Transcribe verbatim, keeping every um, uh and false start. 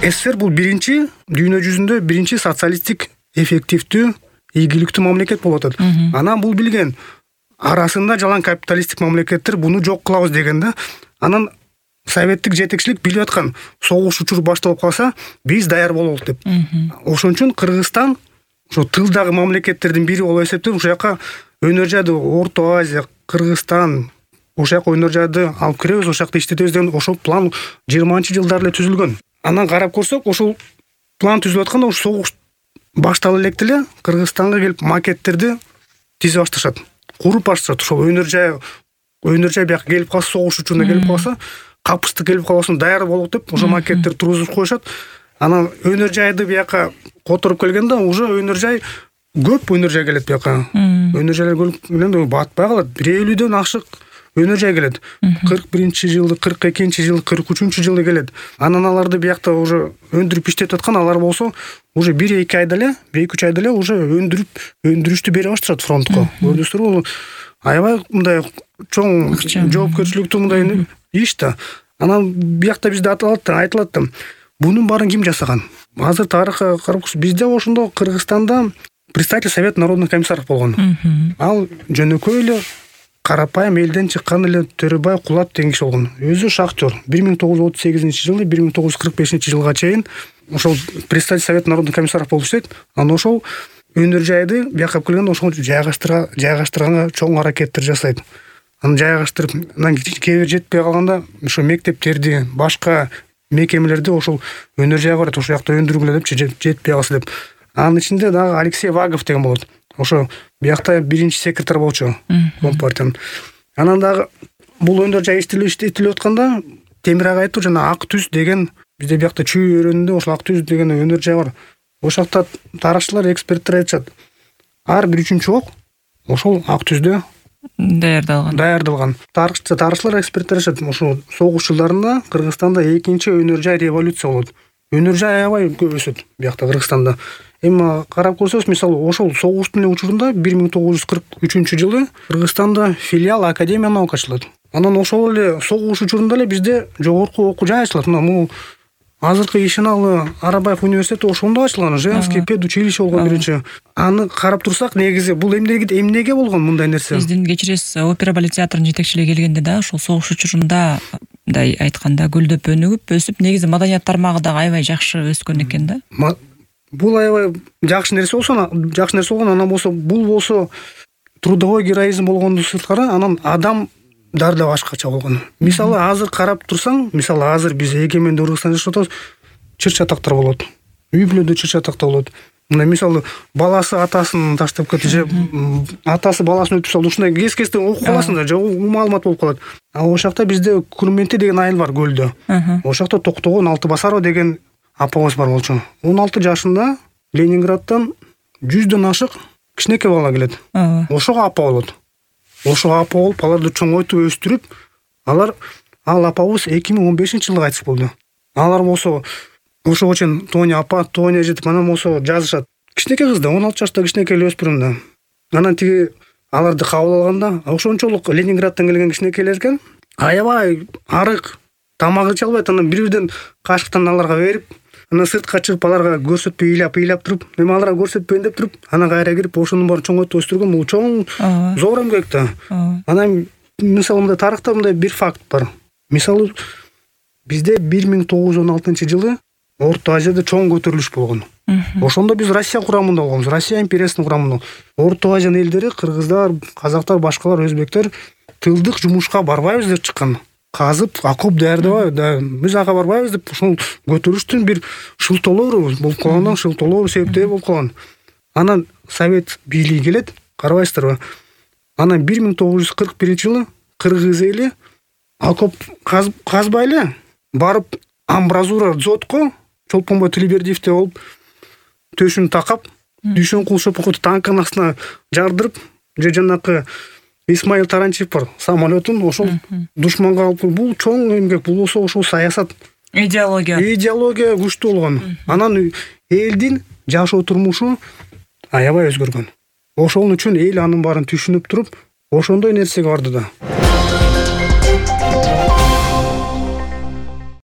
СССР бул биринчи дүйнө жүзүндө биринчи социалисттик эффективдүү ийгиликтүү мамлекет болуп атат. Анан бул билген арасында жалаң капиталисттик мамлекеттер буну жок кылабыз деген да. Анан советтик жетекчилик билип аткан, согуш учур башталып калса биз даяр бололук деп. Ошон үчүн Кыргызстан ошо тылдагы мамлекеттердин бири болуп эсептелип, ошол жака өнөр жайды Орто Азия, Кыргызстан ошол жака өнөр жайды алып киребиз, ошол жакта иштетебиз деген ошол план жыйырманчы жылдары эле түзүлгөн. Анан карап көрсөк, ошол план түзүлүп атканда ошол согуш баштала электе эле Кыргызстанга келип макеттерди тизе башташат, куруп башташат. Ошол өнөр жай өнөр жай бияка келип калса, согуш учурунда келип калса, капысты келип калбасын даяр болот деп ошо макеттер тургузуп коюшат. Анан өнөр жайды бияка которуп келгенде уже өнөр жай көп өнөр жай келет бияка. Өнөр жайлар көп келгенде батпай калат. бир элүүдөн ашык өнөр жай келет. кырк биринчи жылы, кырк экинчи жылы, кырк үчүнчү жылы келет. Анан аларды биякта уже өндүрүп иштетип аткан, алар болсо уже бир эки айда эле, бир эки үч айда эле уже өндүрүп, өндүрүштү бере башташат фронтко. Көрдүңүздөрбү? Аябай мындай чоң жоопкерчиликтүү мындай иш да. Анан биякта бизде айтылат, айтылат да. Бунун баарын ким жасаган? Азыр тарыхка карап бизде ошондо Кыргызстанда представитель Совет народных комиссаров болгон. Ал жөнөкөй эле карапайым элден чыккан эле Төрөбай Кулат деген киши болгон. Өзү шахтер. бир миң тогуз жүз отуз сегизинчи жылы бир миң тогуз жүз кырк бешинчи жылга чейин ошол представитель Совет народных комиссаров болуп иштейт. Анан ошол өнөр жайды бияка келгенде ошол жайгаштырга жайгаштырганга чоң аракеттер жасайт. Аны жайгаштырып, анан кээ бир жетпей калганда ошо мектептерди, башка мекемелерди ошол өнөр жайга барат, ошол жакта өндүргүлө деп жетпей калса деп. Анын ичинде дагы Алексей Вагов деген болот. Ошо биякта биринчи секретарь болчу Компартиянын. Анан дагы бул өндөр жай иштелип атканда Темир ага айтты, жана Ак Түз деген бизде биякта Чүй өрөөнүндө ошол Ак Түз деген өнөр жай бар. Ошол жакта тарыхчылар, эксперттер айтышат. Ар бир үчүнчү ок ошол Ак Түздө даярдалган. Даярдалган. Тарыхчы, тарыхчылар, эксперттер айтышат, ошол согуш жылдарында Кыргызстанда экинчи өнөр жай революция болот. Өнөр жай аябай көп өсөт биякта Кыргызстанда. Эми карап көрсөңүз, мисалы, ошол согуштун учурунда бир миң тогуз жүз кырк үчүнчү жылы Кыргызстанда филиал Академия наук ачылат. Анан ошол эле согуш учурунда эле бизде жогорку окуу жай ачылат. Мына бул азыркы Ишеналы Арабаев университети ошондо ачылган, женский педучилище болгон биринчи. Аны карап турсак, негизи бул эмнеге эмнеге болгон мындай нерсе? Биздин кечиресиз, опера балет театрынын жетекчилиги келгенде да ошол согуш учурунда мындай айтканда гүлдөп өнүгүп өсүп, негизи маданият тармагы дагы аябай жакшы өскөн экен да. Бул аябай жакшы нерсе болсо, жакшы нерсе болгон, анан болсо бул болсо трудовой героизм болгондун сырткары, анан адам дарда башкача болгон. Мисалы, азыр карап турсаң, мисалы азыр биз эгемендүү Кыргызстанда жашап атабыз, чыр-чатактар болот. Үй бүлөдө чыр-чатактар болот. Мына мисалы баласы атасын таштап кетти, же атасы баласын өлтүрүп салды. Ушундай кес-кестен окуп каласың да, же маалымат болуп калат. А ошол жакта бизде Күрменти деген айыл бар көлдө. Ошол жакта Токтогон Алтыбасарова деген апабыз бар болчу. он алты жашында Ленинградтан жүздөн ашык кичинекей бала келет. Ошого апа болот. Ошого апа болуп, аларды чоңойтуп өстүрүп, алар ал апабыз эки миң он бешинчи жылы кайтыш болду. Алар болсо ошого чейин Тоня апа, Тоня жетип, анан болсо жазышат. Кичинекей кыз да, он алты жашта кичинекей эле өспүрүм да. Анан тиги аларды кабыл алганда, ошончолук Ленинградтан келген кичинекейлер экен, аябай арык, тамак иче албайт. Анан бир-бирден кашыктан аларга берип, анан сыртка чыгып аларга көрсөтпөй ыйлап-ыйлап туруп, эми аларга көрсөтпөйүн деп туруп, анан кайра кирип ошонун баарын чоңойтуп өстүргөн. Бул чоң зор эмгек да. Анан мисалы мындай тарыхта мындай бир факт бар. Мисалы бизде бир миң тогуз жүз он алтынчы жылы Орто Азияда чоң көтөрүлүш болгон. Ошондо биз Россия курамында болгонбуз, Россия империясынын курамында. Орто Азиянын элдери, кыргыздар, казактар, башкалар, өзбектер тылдык жумушка барбайбыз деп чыккан. Казып, окоп даярдабай, биз ага барбайбыз деп ошол көтөрүштүн бир шылтоолору болуп калгандан, шылтоолору себептери болуп калган. Анан Совет бийлиги келет, карабайсыздарбы? Анан бир миң тогуз жүз кырк биринчи жылы кыргыз эли окоп казбай эле барып амбразура дзотко Чолпонбой Тилибердиевте болуп төшүн такап, Дүйшөн Кул Шопокоту танкынын астына жардырып, же жанакы Исмаил Таранчиев бар, самолетун ошол душманга алып, бул чоң эмгек, бул болсо ошол саясат, идеология. Идеология күчтүү болгон. Анан элдин жашоо турмушу аябай өзгөргөн. Ошол үчүн эл анын баарын түшүнүп туруп, ошондой нерсеге барды да.